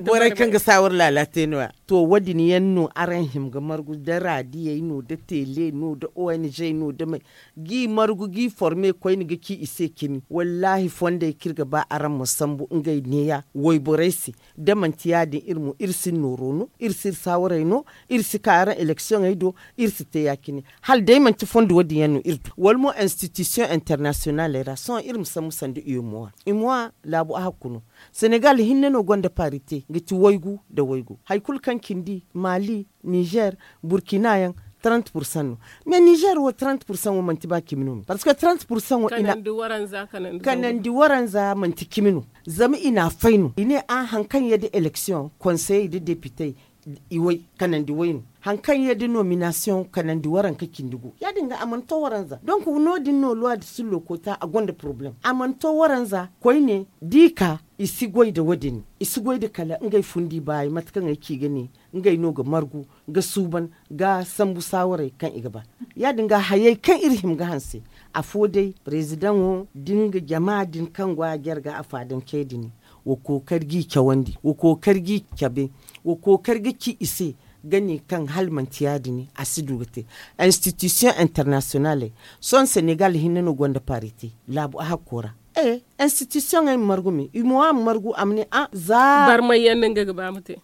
Borey kaŋ ga saawar laala te no- ya. To wo- din yaŋ no araŋ hima ga margu da raadiyey no da tele no da ong no da may, g'i margu g'i forme koyne ga ci i se cimi wallaahi fondey kaŋ iri ga ba araŋ ma sambu ngey neeya wayborey se. Da manti ya- din iri mo iri si iri nooro no, iri si iri saawarey no, iri si ka araŋ eleksiyoŋey do, iri si te ya- cine. Hala day manti fondo wo- din yaŋ no iri du wala mo institusiyoŋ internasiyonaley ra sohõ iri ma sambu sanda u m o a, u m o a laabu a hakku no. Senegal hinne no gonda parite ga ti waygu nda waygu hari kulu kaŋ cindi maali, nizer, burkina yaŋ, trente pursan no. Mais nizer wo trente pursan wo manti ba cimi no me parceque trente pursan wo i na kanandi waranza manti cimi no. Zama i na a fay no i ne a hari kaŋ yadda eleksiyoŋ konseyey nda depitey, i way kanandi way no. Hari kaŋ yadda nominasiyoŋ kanandi waranka cindi go ya- din ga a mana to waranza donk no- din no luwa da sillo koota a gonda porobalem a mana to waranza koyne, da i ka i si goy nda wo- din i si goy nda kala ngey fundi baayi mate kaŋ ay ci ga ne, ngey no ga margu, ga suuban, ga sambu saawarey kaŋ i ga ba. Ya- din ga hayey kaŋ iri hima ga hanse, afo day parezidaŋo da nga jama din kaŋ go a jare ga afaadancey din, wa kookari g'i cawandi, wa kookari g'i cabe, wa kookari ga ci i se, ga ne kaŋ hala manti ya- din a si du ga te. Institusiyoŋ internasiyonaley, sohõ senegal hinne no gonda parite laabu a hakko ra. Institusiyoŋey ma margu me i mo a ma margu a ma ne a za barmay yaŋ no nga ga ba ma te.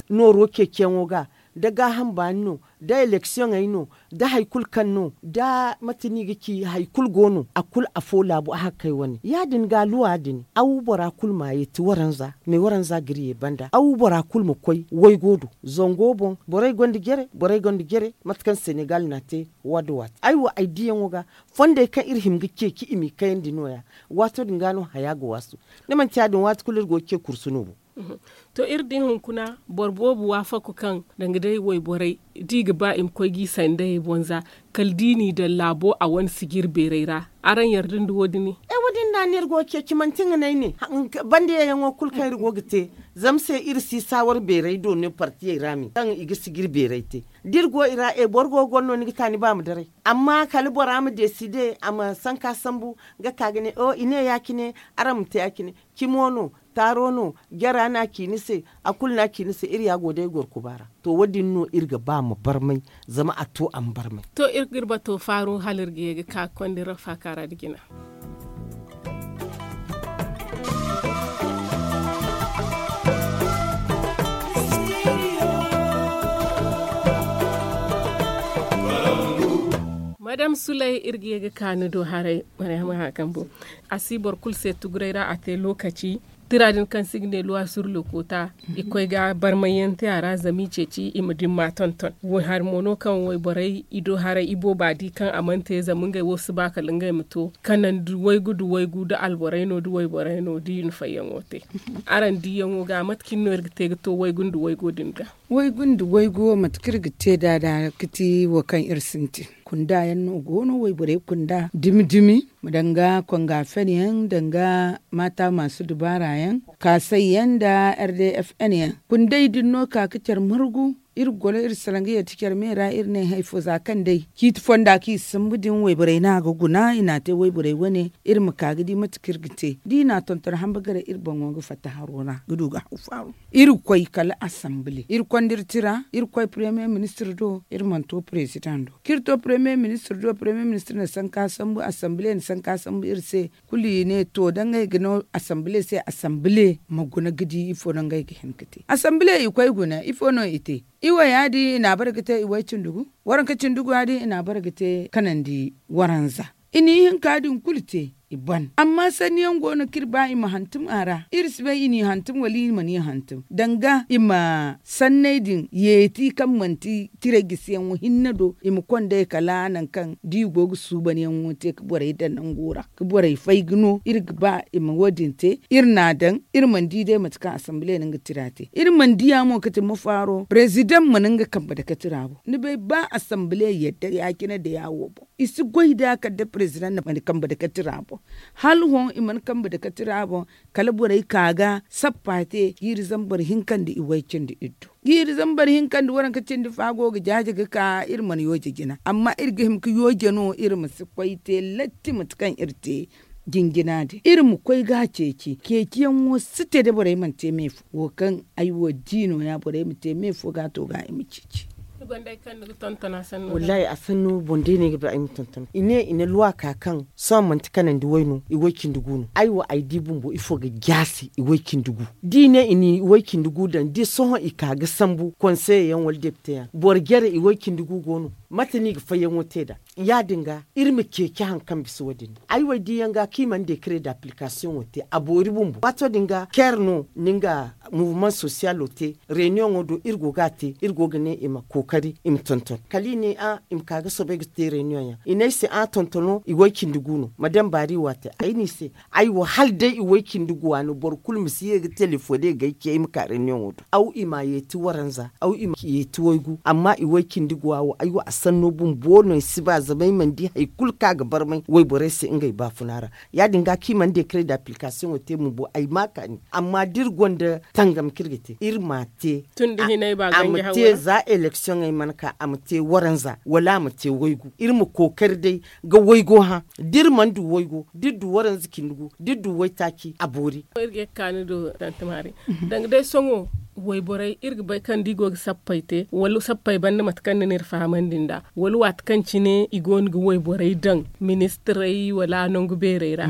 Nooro ceeciyaŋo ga, da gaaham baani no, da eleksiyoŋey no, da hari kulu kaŋ no da mate no i ga ci hari kulu go no a kulu afo laabu a hakkey wane ya- din ga luwa din aw bora kulu ma yeeti waranza me waranza ga iri ye banda aw bora kulu ma koy waygo do, zango boŋ borey gonda jere borey gonda jere. Mate kaŋ senegal n'a te waati waati ay wo ay diyaŋo ga, fondey kaŋ iri hima ga ceeci i m'i kayandi no- ya. Waato din ga no haya ga waasu. Da manti ya- din waati kulu iri go ga ce kursu no bo. To iri di hunkuna boro boobo waafaku kaŋ danga day wayborey da i ga ba i ma koy g'i sandayey boŋ za, kala da i n'i daŋ laabo a wane sijir beerey ra. Araŋ yarda nda wo- din? E wo- din da no iri go ga ceeci manti nga no ay ne. Banda yeeyaŋo kulu kaŋ iri go ga te, zama se iri si saawar beerey do no partiyey ra me kaŋ i ga sijir beerey te. Da iri go i ra e boro go ga goro no ni ga ta ni ba ma daray. Amma kala bora ma deside a ma sanka sambu, ga ka ga ne o i ne ya- cine, araŋ ma te ya- cine. Cimo no, taaro no, jara no a ci ni se, a kulu no a ci ni se iri ya go day gorkuba ra. To wo- din no iri ga ba ma barmay, zama a to a ma barmay. To iri ga iri bato faaru hala iri ga ye ga ka ga konda iri faaka ra nda jina. Madame sulay iri ga ye ga ka ni do haray. Mariama hakambu, a si boro kulu se tuguray ra a te lookaci. Tira din kaŋ se i ga ne luwa sur lokoota, i koy ga barmay yaŋ te a ra zama i ceeci i ma dimma tonton. Hari mo no kaŋ wayborey i do haray i booba di kaŋ a mana te zama ngey wo si ba kala ngey ma to kanandi waygu nda waygu nda alborey no nda wayborey no da i na fayyaŋo te. Araŋ diyaŋo ga mate cine no iri ga te ga to waygu nda waygu din ga? Waygu nda waygu wo mate kaŋ iri ga te nd'a da ga ti wo kaŋ iri sintin kunda yaŋ no go no wayborey kunda dumi dumi, danga konga fen yaŋ danga maata maasu dubaara yaŋ, kaasay yaŋ nda r d f n yaŋ. Kundey din no ka ga care margu. Iri goro iri salaŋ ga yadda care me ra iri ne hari fo za kaŋ day ciiti fonda kaŋ i sambu din wayborey no a ga guna i n'a te wayborey wane. Iri ma ka ga di mate kaŋ iri ga te da i n'a tonton hamba garay iri boŋo ga fatta haro ra ga du ga haw faaru. Iri koy kala assembile iri konda iri tira iri koy premier ministre do iri mana to president do kaŋ iri to premier ministre do premier ministre na sanka sambu assembile na sanka sambu iri se. Kulu i ne to da ngey ga no assembile se assembile ma guna ga di ifo no ngey ga hin ga te assembile i koy guna ifo no i te? I wo ya- din i n'a bare ga te i way cindi gu waranka cindi gu ya- din i n'a bare ga te kanandi waranza. I n'i hinka din kulu te i ban amma sanni yaŋ go no kaŋ iri ba i ma hantum a ra iri si bay i n'i hantum wala i mana i hantum danga i ma sanney din yeeti kaŋ manti tirey gisiyaŋo hinne do i ma konda i kala nangu kaŋ da i go ga suubanyaŋo te ga borey daŋ nango ra ga borey fay ga no iri ga ba i ma wo- din te. Iri n'a daŋ iri mana di day mate kaŋ assembile na nga tira te iri mana diya mo ga ti mafaaro president mana nga kambe dake tira boŋ ni bay ba assembile yadda ya- cine da ya- wo boŋ i si goy nd'a kala da president na mana kambe dake tira boŋ. Hala hõ i mana kambe dake tira boŋ kala borey ka ga sappa te jiiri zambar hinka nda i way cindi iddu jiiri zambar hinka nda waranka cindi fa go ga jaaje ga ka iri mana yooje jina amma iri ga hima ga yooje no iri ma si koy te latti mate kaŋ iri te jinjina din iri ma koy ga a ceeci ceeciyaŋo si te da borey mana te me fo wo kaŋ ay wo di no- ya borey ma te me fo ga a to ga i ma ceeci. Wallaahi a sanno boŋ day no ay ga ba ay ma tonton i ne i na luwa ka kaŋ sohõ manti kanandi way no i way cindi gu no ay wo ay di bumbo ifo ga jaasi i way cindi gu da i ne i na i way cindi gu daŋ da sohõ i ka ga sambu konseye yaŋ wala depite yaŋ boro jare i way cindi gu go no? Mate no i ga fayyaŋo te nd'a ya- din ga iri ma ceeci hari kaŋ bisa wo- din da ay wo ay di yaŋ ga kaŋ i mana dekare da aplikasiyoŋo te a boori bumbo waato din ga care no ni nga muvuman sosiyalo te reyniyoŋo do iri go ga a te iri go ga ne i ma kookari i ma tonton kala i ne a i ma ka ga soobay ga te reyniyoŋ yaŋ i ne ay se a tontono i way cindi gu no ma daŋ baari waate ay ne i se ay wo hala day i way cindi gu waano boro kulu ma si ye ga telefoŋ day ga ay ce ay ma ka reyniyoŋo do aw i ma a yeeti waranza aw i ma yeeti waygu amma i way cindi gu wa wo ay wo a sanno bumbo no ay si ba zama ay mana di hari kulu kaŋ a ga barmay wayborey se ngey baafuna ra ya- din ga kaŋ i mana dekare da aplikasiyoŋo te bumbo ay ma a kaani amma da iri gonda tangam kaŋ iri ga te iri m'a te a ma te za eleksiyoŋey mana ka a ma te waranza wala a ma te waygu iri ma kookari day ga waygo hã da iri mana du waygo da iri du waranza cindi gu da iri du waytaaci a boori. Iri ga ye ga kaanu do tanti maari danga day sohõ wayborey iri ga bay kaŋ da i go ga sappey te wala sappey banda mate kaŋ ni na iri fahamandi nd'a wala waati kaŋ cine i go no ga wayborey daŋ ministirey wala nangu beerey ra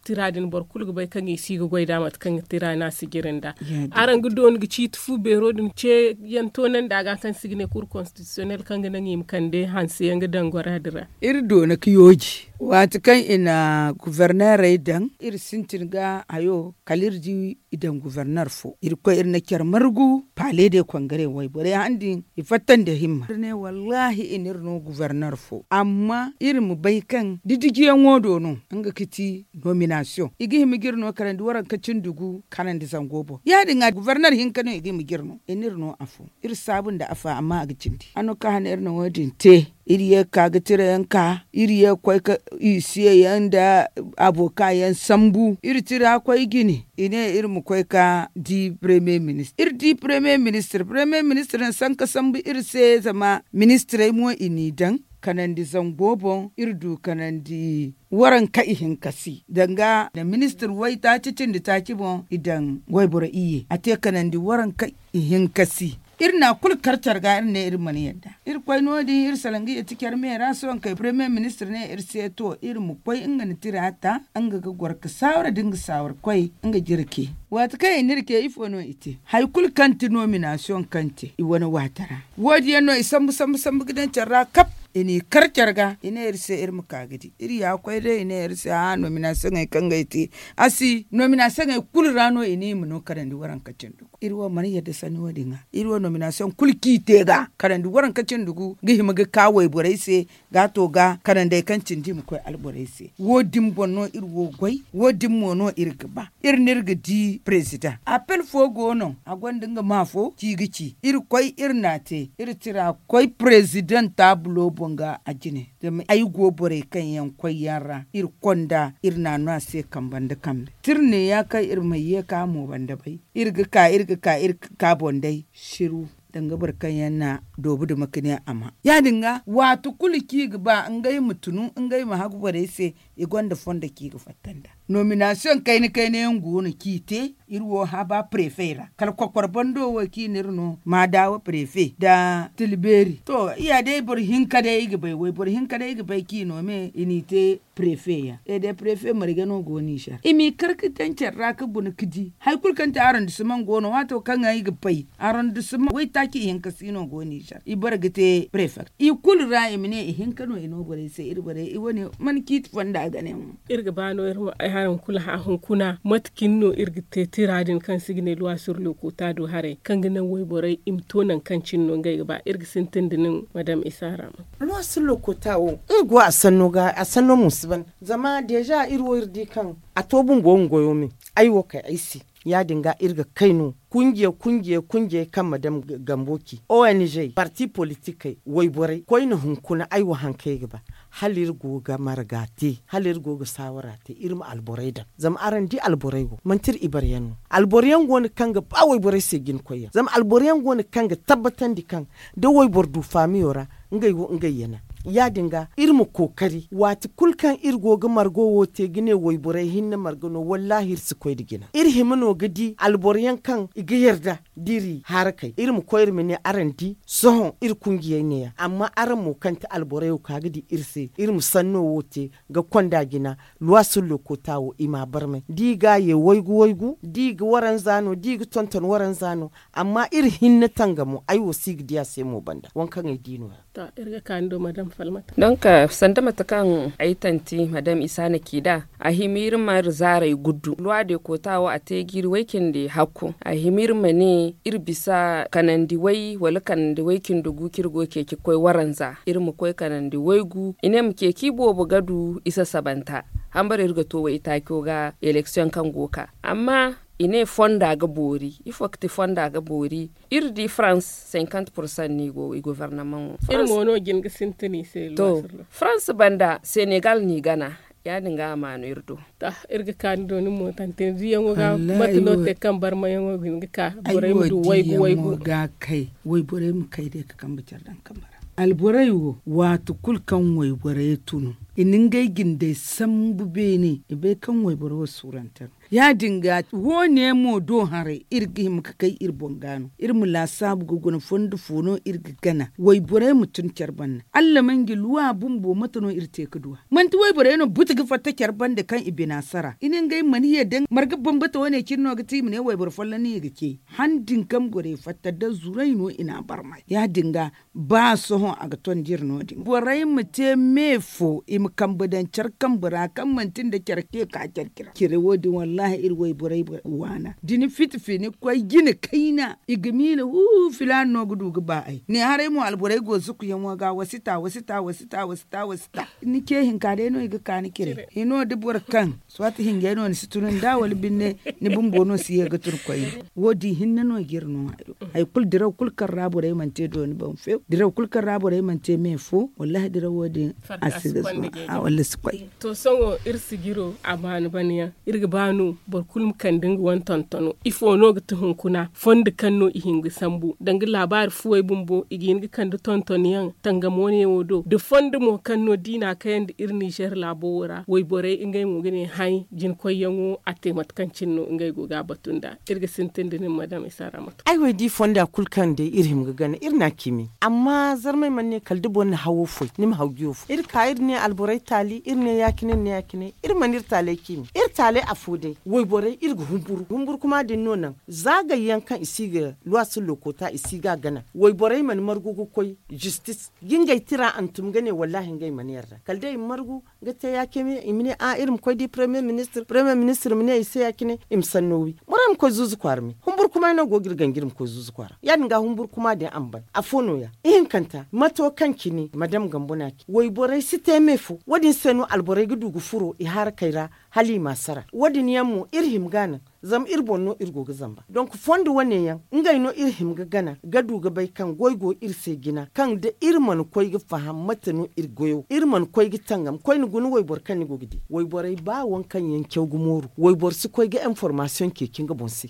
tira din boro kulu ga bay kaŋ i si ga goy nd'a mate kaŋ ga tira no a si jire nd'a araŋ ga doona ga ciiti fu beero din ce yaŋ toonandi a ga kaŋ se i ga ne kur konstitisiyonel kaŋ ga naŋ i ma kande hanse yaŋ ga daŋ gora din ra. Iri doona ga yooji waati kaŋ i na guvernerey daŋ iri sintin ga hayo kala iri di i daŋ guverner fo iri koy iri na care margu paale de kongare wayborey han din i fatta nda himma iri ne wallaahi i na iri no guverner fo amma iri ma bay kaŋ didijiyaŋo do no nga ga ti nominasiyoŋ i ga hima ga iri no karandi waranka cindi gu karandi zango boŋ ya- din ga guverner hinka no i ga hima ga iri no i na iri no afo iri saabu nda afo amma a ga cindi hano kaŋ hane iri na wo- din te iri ye ga ka ga tira yaŋ ka iri ye ga koy ka isiye yaŋ nda aboka yaŋ sambu iri tira koy jine i ne iri ma koy ga di premier ministre iri di premier ministre premier ministre na sanka sambu iri se zama ministirey mo i n'i daŋ kanandi zango boŋ iri du kanandi waranka ihinka si danga nda ministir waytaaci cindi taaci boŋ i daŋ wayboro iyye a te kanandi waranka ihinka si iri na kulu kar care ga iri ne iri mana yadda iri koy no- din iri salaŋ ga yeti care me ra sohõ kay premier ministir ne iri se to iri ma koy nga na tira ta nga ga goro ga saawara da nga saawara koy nga jirke waati kaŋ i na iri ce ifo no i te hari kulu kaŋ ti nominasiyoŋ kaŋ te i wane waati ra wo- din yaŋ no i sambu sambu sambu ga daŋ care ra kap i n'i kar care ga i ne iri se iri ma ka ga di iri ya ga koy day i ne iri se a nominasiyoŋey kaŋ ga ay te. A si nominasiyoŋey kulu ra no i ne i ma no karandi waranka cindi gu iri wo mana yadda sanni wo- din ga iri wo nominasiyoŋ kulu kaŋ i te ga karandi waranka cindi gu ga hima ga ka wayborey se. Ga to ga kanandey kaŋ cindi i ma koy alborey se wo- din boŋ no iri wo goy. Wo- din mo no iri ga ba iri no iri ga di parezidaŋ apel fo go no a gonda nga ma fo ci ga ci iri koy iri n'a te iri tira koy parezidaŋ taabulo boŋ ga a jine zama ay go borey kaŋ yaŋ koy yaŋ ra iri konda iri n'a no a se kambe nda kambe tira ne ya kaŋ iri ma ye ka mo banda bay iri ga ka iri ga ka iri ga ka boŋ day. Siru danga boro kaŋ yaŋ na doobu duma ka ne a ma ya- din ga waati kulu kaŋ i ga ba ngey ma tunu ngey ma hagu borey se. I gonda fondo kaŋ i ga fatta nd'a nominasiyoŋ kayna kayna yaŋ go no kaŋ i te iri wo haba prefe ra kala kokoro bando wo kaŋ i na iri no maadawa prefe nda tilbeeri to ya day boro hinka day i ga bay wayboro hinka day i ga bay kaŋ i no me i n'i te prefe yaŋ e day prefe marge no go nizer i m'i kar ga daŋ care ra ga guna ga di hari kulu kaŋ ti arondisimaŋ go no waato kaŋ ga ay ga bay arondisimaŋ waytaaci ihinka si no go nizer i bare ga te prefek i kulu ra i ma ne ihinka no i no borey se iri borey i wane mana ciiti fonda ga ne mo. Iri ga ba no iri ma ay haraŋ kulu hã hunkuna mate cine no iri ga te tira din kaŋ se i ga ne luwa sur lokuta do haray kaŋ ga naŋ wayborey i ma to nangu kaŋ cine no ngey ga ba iri ga sintin da nin madam isa ra. Luwa sur lokuta wo iri go a sanno ga a sanno mo si ban zama deeza iri wo iri di kaŋ a to bumbo nga goyo me ay wo kay ay se. Ya- din ga iri ga kay no kunjiya kunjiya kunjiyey kaŋ ma daŋ gambo ci ong parti politikey wayborey koyne hunkuna ay wo hari kaŋ ay ga ba hala iri go ga marga te hala iri go ga saawara te iri ma alborey daŋ zama araŋ di alborey wo manti iri ibaryaŋ no. Alboro yaŋ go no kaŋ ga ba wayborey se jina koyyaŋ zama alboro yaŋ go no kaŋ ga tabbatandi kaŋ da wayboro du faamiyo ra ngey wo ngey yana. Ya- din ga iri ma kookari waati kulu kaŋ iri go ga margo wo te ga ne wayborey hinne marga no wallaahi iri si koy nda jina iri hima no ga di alboro yaŋ kaŋ i ga yarda da iri harakey iri ma koy iri ma ne araŋ di sohõ iri kunjiyey ne- ya amma araŋ mo kaŋ ti alborey wo ka ga di iri se iri ma sanno wo te ga konda jina. Luwa sullo koota wo i m'a barmay da i ga a ye waygu waygu da i ga waranza no da i ga tonton waranza no. Amma iri hinne tanga mo ay wo si ga di a se mo banda waŋ kaŋ ay di no- ya. To iri ga ka ni do madam falmata donk sanda mate kaŋ ay tanti madam isa na ci nd'a a hima iri ma iri zaaray guddu luwa de koota wo a te ga iri way cindi hakku a hima iri ma ne iri bisa kanandi way wala kanandi way cindi gu kaŋ iri go ga ceeci ga koy waranza iri ma koy kanandi waygu i ne ma ceeci i boobo ga du i sasabanta. Hambara iri ga to waytaaco ga eleksiyoŋ kaŋ go ga ka amma i ne fonda ga boori ifo ga ti fonda ga boori. Iri di farans cinquante pourcent no i go i gobornamaŋo iri mo no jin ga sintin i se. To farans banda senegal no i gana. Ya- din ga a ma no iri do. To iri ga ka ni do ni mo tantini diyaŋo ga mate no te kaŋ barmayaŋo ga hin ga ka borey ma du waygu waygu ga kay wayborey ma kay day ga kambe care daŋ kambe ra. Alborey wo waati kulu kaŋ wayborey tunu i na ngey jindey sambu beene i bay kaŋ wayboro wo suurante no. Ya- din ga wo- ne mo do haray iri ga hima ga kay iri boŋ ga no iri ma laasaabu ga guna fondo fo no iri ga gana wayborey ma tun care banda allah ma ngi luwa bumbo mate no iri te ga du a manti wayborey no buti ga fatta care banda kaŋ i bina sara i ne ngey mana yadda marga bambata wo- ne cine no ga ti i ma ne wayboro folloŋ no i ga ce. Han din kaŋ gorey fatta da zuray no i na a barmay ya- din ga ba sohõ a ga ton da iri no- din borey ma te me fo i ma kambe daŋ care kambe ra kaŋ manti nda care ce ka care cire wo- din wallahi iri wayborey waana da ni fiti fini koy jine kayna i ga miila hu filaana no ga du ga ba ay ne haray mo alborey go zukuyaŋo ga wa si ta wa si ta wa si ta wa si ta wa si ta ni ce hinka day no i ga ka ni cire hino da boro kaŋ sohõ ti hinjay no ni si tunu nda wala binne ni bumbo no si ye ga tun koyne. Wo- din hinne no ga iri no hayo hari kulu diraw kulu kaŋ ra borey mana te dooni boŋ few diraw kulu kaŋ ra borey mana te me fo wallahi diraw wo- din a si ga zuwa wala si koy. To sohõ iri sijiro a baani bana yaŋ iri ga ba no boro kulu ma kande nga wane tontono ifo no ga ti hunkuna fondo kaŋ no i hin ga sambu danga laabaari fuwey bumbo i ga hin ga kande tonton yaŋ tangamo ne wo do da fondo mo kaŋ no da i na a kayandi iri nizer laabo wo ra wayborey ngey mo ga ne hay jinkoyyaŋo a te mate kaŋ cine no ngey go ga a batu nd'a. Iri ga sintin da nin madam isa ra mate. Ay wo ay di fonda kulu kaŋ day iri hima ga gana iri na a ciimi amma zarmey mana ne kala da boro na hawo foy ni ma haw jiyo foy iri ka iri ne alboro Borey taali iri ne ya- cine iri ne ya- cine iri mana iri taaley ciimi iri taaley afo day wayborey iri ga humburu humburu kuma din no naŋ. Za gayyaŋ kaŋ i si ga luwaasu lookota i si ga a gana wayborey mana margu ga koy jistis ga ngey tira hantum ga ne wallaahi ngey mana yarda kala day i ma margu ga te ya- cine i ma ne a iri ma koy di paremiye ministir paremiye ministir ma ne i se ya- cine i ma sanno wi borey ma koy zuuzu kwaara me humburu kuma no go ga iri ganji iri ma koy zuuzu kwaara ya- din ga humburu kuma din a ma ban afo no- ya ihinkanta mato kaŋ cine madam gambo na ci wayborey si te me fo wo- din se no alborey ga du ga furo i harakey ra hala i ma a sara wo- din yaŋ mo iri hima ga a naŋ. Zama iri boŋ no iri go ga zamba donk fondo wane yaŋ ngey no iri hima ga gana ga du ga bay kaŋ goy go iri se jina kaŋ da iri mana koy ga faham mate no iri goyo iri mana koy ga tangam koyne guna wayboro kaŋ ni go ga di wayborey ba waŋ kaŋ yaŋ caw ga mooru wayboro si koy ga information ceeci nga boŋ se.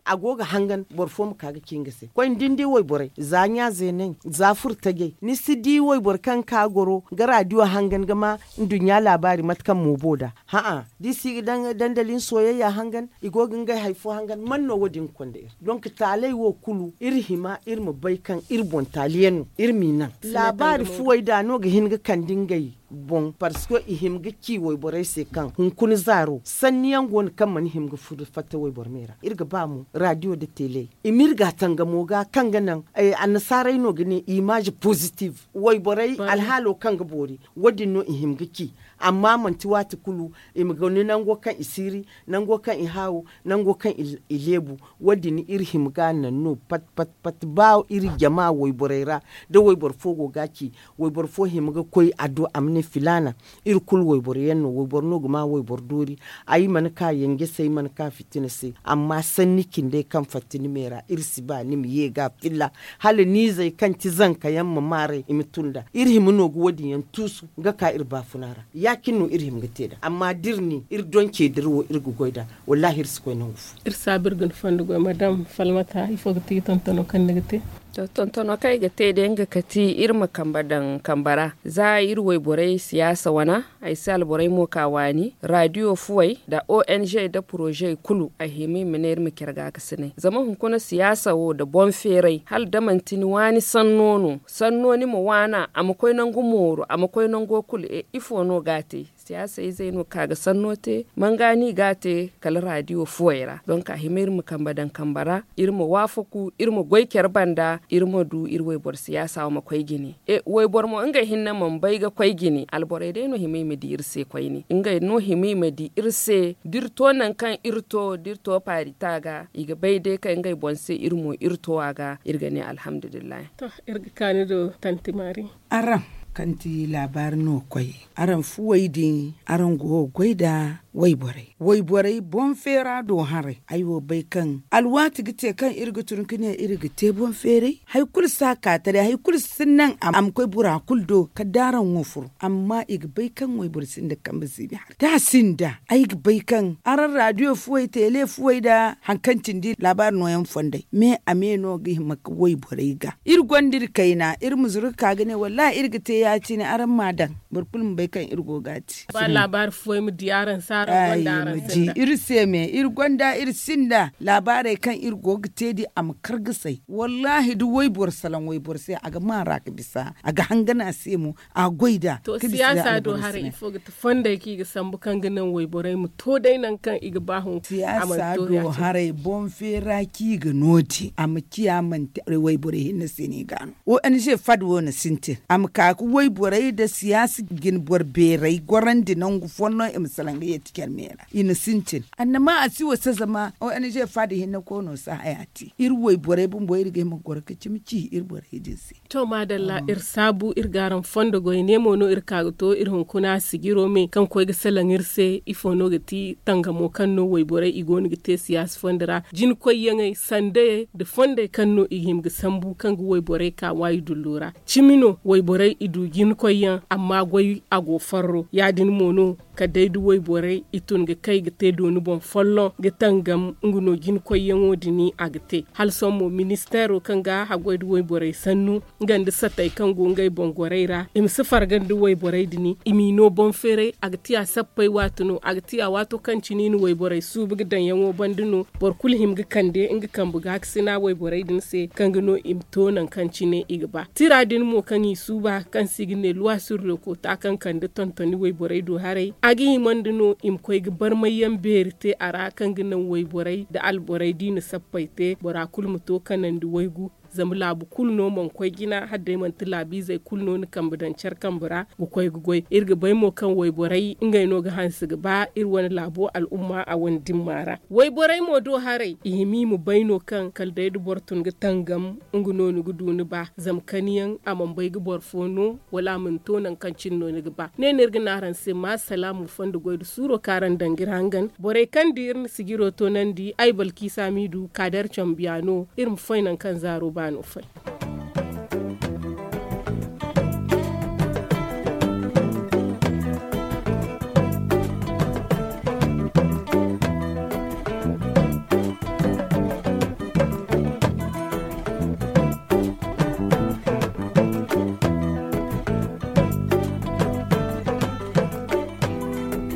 A go ga hangan boro fo ma ka ga ci nga se koy ni din di wayborey za ɲa zeeney za furtajey ni si di wayboro kaŋ ga ka goro ga radio hangan ga ma nduɲɲa laabaari mate kaŋ moobo nd'a ha'a da i si ga daŋ dandali ni sooyayya hangan i go ga ngey hari fo hangan man no wo- din ga konda iri donk taaley wo kulu iri hima iri ma bay kaŋ iri boŋ taali yaŋ no iri m'i naŋ. Laabaari fuwey da no ga hin ga kande ngey boŋ parceque i hima ga ci wayborey se kaŋ hunkuna zaaro sanni yaŋ go no kaŋ mana hima ga furo fatta wayboro me ra iri ga ba mo radio nda tele i ma iri ga a tangamo ga kaŋ ga naŋ annasaarey no ga ne imaaze positive wayborey alhaalo kaŋ ga boori wo- din no i hima ga ci amma manti waati kulu i ma guna nango kaŋ i siiri nango kaŋ i haawu nango kaŋ i leebu wo- din iri hima ga a naŋ no pat pat pat ba iri jama wayborey ra da wayboro fo go ga a ci wayboro fo hima ga koy a do a ma ne filaana iri kulu wayboro yaŋ no wayboro no ga ma wayboro doori ay mana ka yanje se ay mana ka fitina se amma sanni cindey kaŋ fatta ni me ra iri si ba ni ma ye ga filla hala niizey kaŋ ti zanka yaŋ ma maaray i ma tun nd'a iri hima no ga wo- din yaŋ tuusu ga ka iri baafuna ra ya- cine no iri hima ga te nd'a amma da iri ne iri donce dira wo iri ga goy nd'a wallaahi iri si koy nangu fo. Iri saabu iri ga ni fondo goy madam falmata ifo ga ti tontono kaŋ ni ga te? To tontono kaŋ ay ga te day nga kati iri ma kambe daŋ kambe ra za iri wayborey siyaasa wana ay si alborey mo ka waani radio fuwey nda ong nda poroze kulu ay hima i ma ne iri ma care gaakasinay zama hunkuna siyaasa wo nda boŋ feeray hala da manti ni waani sanno no sanno ni ma waana a ma koy nangu mooru a ma koy nango kulu e ifo no ga a te siyaasa izey no ka ga sanno te manga no i ga a te kala radio fuwey ra donk a hima iri ma kambe daŋ kambe ra iri ma waafaku iri ma goy care banda iri ma du iri wayboro siyaasa wo ma koy jine e wayboro mo ngey hinne mana bay ga koy jine alborey day no hima i ma di iri se koyne ngey no hima i ma di iri se da iri to nangu kaŋ iri to da iri to paari ta ga i ga bay day kaŋ ngey boŋ se iri mo iri to a ga iri ga ne alhamdulillahi. To iri ga kaani do tanti maari. Araŋ kaŋ ti laabaari no koy araŋ fuwey din araŋ go ga goy nda wayborey wayborey boŋ feera do haray ay wo bay kaŋ alwaati ga te kaŋ iri ga tun ga ne iri ga te boŋ feeray hari kulu si a ka taray hari kulu si naŋ a ma koy bora kulu do kala da araŋ wo furo amma i ga bay kaŋ wayboro sinda kambe ziibi haray da a sinda ay ga bay kaŋ araŋ radio fuwey tele fuwey nda hari kaŋ cindi laabaari nooyaŋ fondey me a me no ga hima ga wayborey ga iri gonda iri kayna iri ma zuru ga ka ga ne wallaahi iri ga te ya- cine araŋ m'a daŋ boro kulu ma bay kaŋ iri go ga a te. Ba laabaari fuwey ma di araŋ se araŋ gonda araŋ se iri se me iri gonda iri sinda laabaarey kaŋ iri go ga te di a ma kar ga say wallaahi da wayboro salaŋ wayboro se a ga maara ga bisa a ga hangan a se mo a goy nd'a. To siyaasa do haray ifo ga ti fondey kaŋ i ga sambu kaŋ ga naŋ wayborey ma to day nangu kaŋ i ga ba hun siyaasa do haray boŋ feera kaŋ i ga no din a ma ciya manti wayborey hinne se no i ga a no ong fad wo na sintin a ma ka ga wayborey nda siyaasa jine boro beerey gorandi nangu fonno i ma salaŋ ga yeeti care me ra i na sintin annama a si wasa zama ong fad hinne koono si haya te iri wayborey bumbo iri ga hima ga goro ga cimi ci iri borey din se. To maadalla iri saabu iri ga araŋ fondo goy ne mo no iri ka ga to iri hunkuna sijiro me kaŋ koy ga salaŋ iri se ifo no ga ti tangamo kaŋ no wayborey i go no ga te siyaasa fondo ra jina koyyaŋey sandayey nda fondey kaŋ no i ga hima ga sambu kaŋ ga wayborey ka waayi dullo ra cimi no wayborey i du jina koyyaŋ amma goy a go farro ya- din mo no kala day da wayborey i tun ga kay ga te dooni boŋ folloŋ ga tangam nga no jina koyyaŋo din a ga te hala sohõ mo ministeero kaŋ ga haggoy nda wayborey sannu nga nda satey kaŋ go ngey boŋ gorey ra i ma si farga nda wayborey din i m'i no boŋ feeray a ga tiya sappey waati no a ga tiya waato kaŋ cine i na wayborey suubu ga daŋyaŋo banda no boro kulu hima ga kande nga kambe gaakasina wayborey din se kaŋ ga no i ma to nangu kaŋ cine i ga ba tira din mo kaŋ i suuba kaŋ Sijine luwa sur le koota kaŋ kande tontoni wayborey do haray a ga himandi no i ma koy ga barmayyaŋ beeri te a ra kaŋ ga naŋ wayborey nda alborey da i na sappey te bora kulu ma to kanandi waygu. Zama laabu kulu no mana koy jina hala day manti laabiizey kulu no na kambe daŋ care kambe ra ga koy ga goy iri ga bay mo kaŋ wayborey ngey no ga hanse ga ba iri wane laabo al'umma a wane dimma ra. Wayborey mo do haray i hima i ma bay no kaŋ kala day da boro tun ga tangam nga no ni ga du ni ba zama kaniyaŋ a mana bay ga boro fo no wala a mana to nangu kaŋ cine no ni ga ba ne no iri ga ne araŋ se ma salaamu fondo goy nda suuro kaŋ araŋ daŋ ga iri hangan borey kaŋ da iri na sijiro toonandi ay balkiisa miidu kaader cambiya no iri ma fay nangu kaŋ zaaro baano fay.